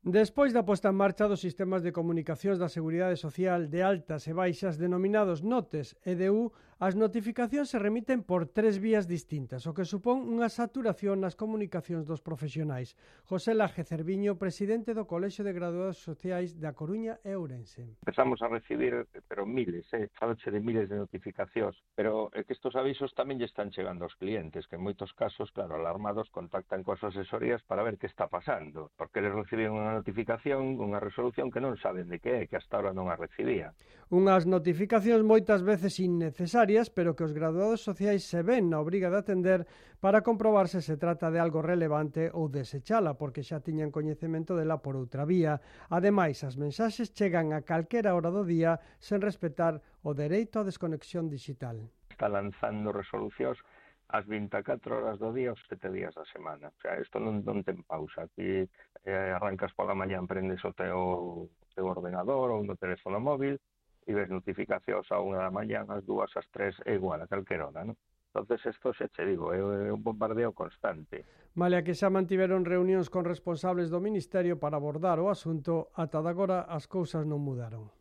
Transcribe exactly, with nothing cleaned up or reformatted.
Despois da posta en marcha dos sistemas de comunicacións da Seguridade Social de altas e baixas denominados NOTES e D U, as notificacións se remiten por tres vías distintas, o que supón unha saturación nas comunicacións dos profesionais. José Laje Cerviño, presidente do Colexio de Graduados Sociais da Coruña e Ourense. Empezamos a recibir, pero miles, eh, faloche de miles de notificacións, pero é que estos avisos tamén lle están chegando aos clientes, que en moitos casos, claro, alarmados, contactan coas asesorías para ver que está pasando, porque eles reciben unha notificación, unha resolución que non saben de que é, que hasta ahora non a recibía. Unhas notificacións moitas veces innecesarias, pero que os graduados sociais se ven na obriga de atender para comprobar se se trata de algo relevante ou desechala, porque xa tiñan coñecemento dela por outra vía. Ademais, as mensaxes chegan a calquera hora do día sen respetar o dereito á desconexión digital. Está lanzando resolucións as vinte e catro horas do día, os sete días da semana. O sea, isto non, non ten pausa. Aquí eh, arrancas pola mañá, prendes o teu, teu ordenador ou no teléfono móvil e ves notificacións a unha da mañá, as dúas, as tres, é igual a calquer hora, non? Entonces, isto xa che digo, é un bombardeo constante. Malia que xa mantiveron reunións con responsables do Ministerio para abordar o asunto, ata de agora as cousas non mudaron.